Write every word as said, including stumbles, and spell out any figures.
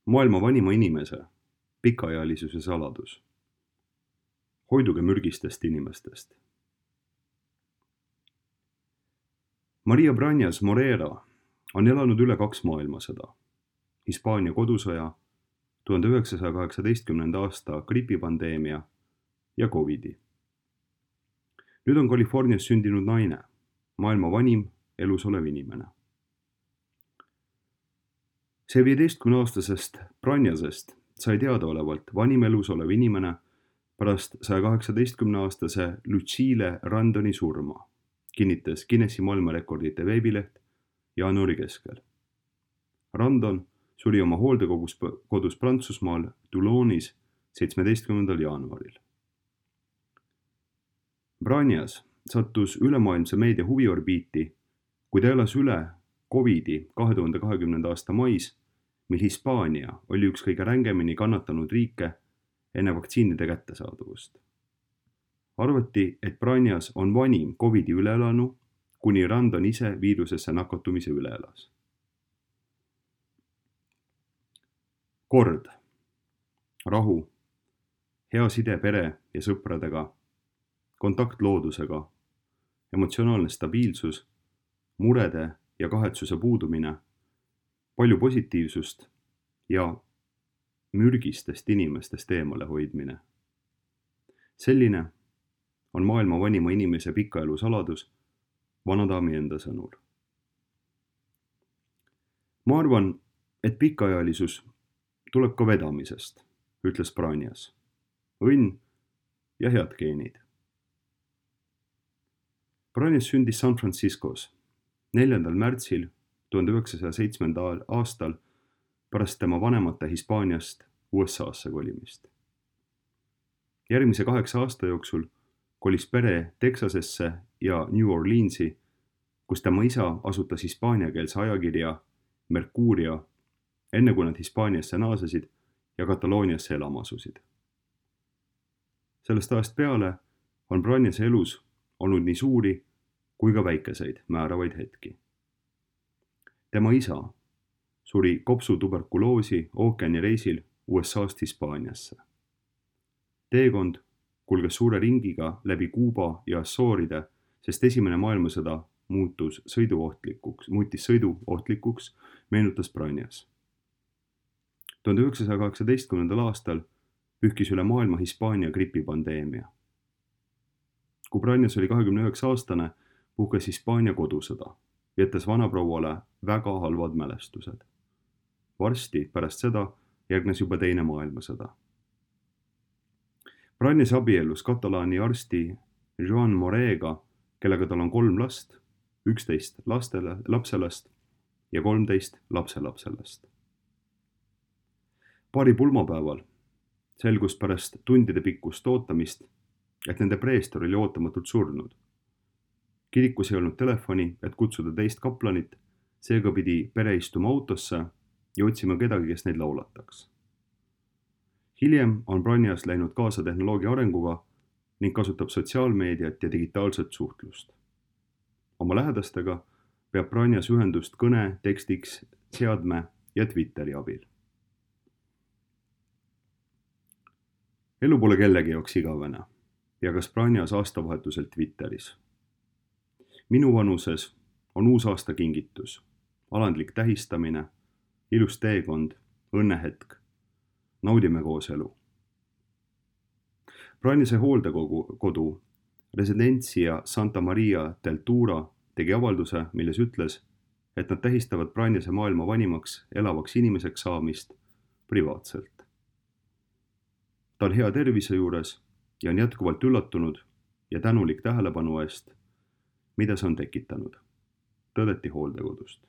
Maailma vanima inimese pikaealisuse saladus. Hoiduge mürgistest inimestest. Maria Brañas Morera on elanud üle kaks maailmasõda, Hispaania kodusõja, tuhande üheksasaja kaheksateistkümnenda aasta gripipandeemia ja Covidi. Nüüd on Californias sündinud naine, maailma vanim elus olev inimene. See viieteistkümneaastasest Brañasest sai teadaolevalt vanim elus olev inimene pärast saja kaheksateistkümneaastase Lucille Randoni surma, kinnitas Guinessi maailmarekordite veebileht jaanuari keskel. Randon suri oma hooldekodus kodus Prantsusmaal Toulonis seitsmeteistkümnendal jaanuaril. Brañas sattus ülemaailmse meedia huviorbiiti, kui ta elas üle Covidi kahe tuhande kahekümnenda aasta mais, mil Hispaania oli üks kõige rängemini kannatanud riike enne vaktsiinide kättesaadavust. Arvati, et Brañas on vanim Covidi üleelanu, kuni Randon ise viirusesse nakatumise üle elas. Kord, rahu, hea side pere ja sõpradega, kontakt loodusega, emotsionaalne stabiilsus, murede ja kahetsuse puudumine, palju positiivsust ja mürgistest inimestest eemale hoidmine. Selline on maailma vanima inimese pikaelu saladus vanadaami enda sõnul. Ma arvan, et pikaealisus tuleb ka vedamisest, ütles Brañas. Õnn ja head geenid. Brañas sündis San Franciscos neljandal märtsil tuhande üheksasaja seitsmendal aastal pärast tema vanemate Hispaaniast U S A-sse kolimist. Järgmise kaheksa aasta jooksul kolis pere Texasesse ja New Orleansi, kus tema isa asutas hispaaniakeelse ajakirja Mercuria, enne kui nad Hispaaniasse naasesid ja Katalooniasse elama asusid. Sellest ajast peale on Brañase elus olnud nii suuri kui ka väikeseid määravaid hetki. Tema isa suri kopsutuberkuloosi ookeanireisil U S A-st Hispaaniasse. Teekond kulges suure ringiga läbi Kuuba ja Assooride, sest esimene maailmasõda muutus sõiduohtlikuks, muutis sõiduohtlikuks, meenutas Brañas. tuhande üheksasaja kaheksateistkümnendal aastal pühkis üle maailma Hispaania gripipandeemia. Kui Brañas oli kahekümne üheksa aastane, puhkes Hispaania kodusõda, jättes vanaprouale väga halvad mälestused. Varsti pärast seda järgnes juba teine maailmasõda. Brañas abiellus Katalaani arsti Joan Morega, kellega tal on kolm last, üksteist lastele, lapselast ja kolmteist lapselapselast. Paari pulmapäeval selgus pärast tundide pikkust ootamist, et nende preestor oli ootamatult surnud. Kirikus ei olnud telefoni, et kutsuda teist kaplanit, seega pidi pere istuma autosse ja otsima kedagi, kes neid laulataks. Hiljem on Brañas läinud kaasa tehnoloogia arenguga ning kasutab sotsiaalmeediat ja digitaalset suhtlust. Oma lähedastega peab Brañas ühendust kõne, tekstiks, seadme ja Twitteri abil. Elu pole kellegi jaoks igavene ja kas Brañas aastavahetusel Twitteris. Minu vanuses on uus aasta kingitus, alandlik tähistamine, ilus teekond, õnnehetk, naudime koos elu. Brañase hooldekodu Residencia Santa Maria del Tura tegi avalduse, milles ütles, et nad tähistavad Brañase maailma vanimaks elavaks inimeseks saamist privaatselt. Ta on hea tervise juures ja on jätkuvalt üllatunud ja tänulik tähelepanu eest, mida see on tekitanud, tõdeti hooldekodust.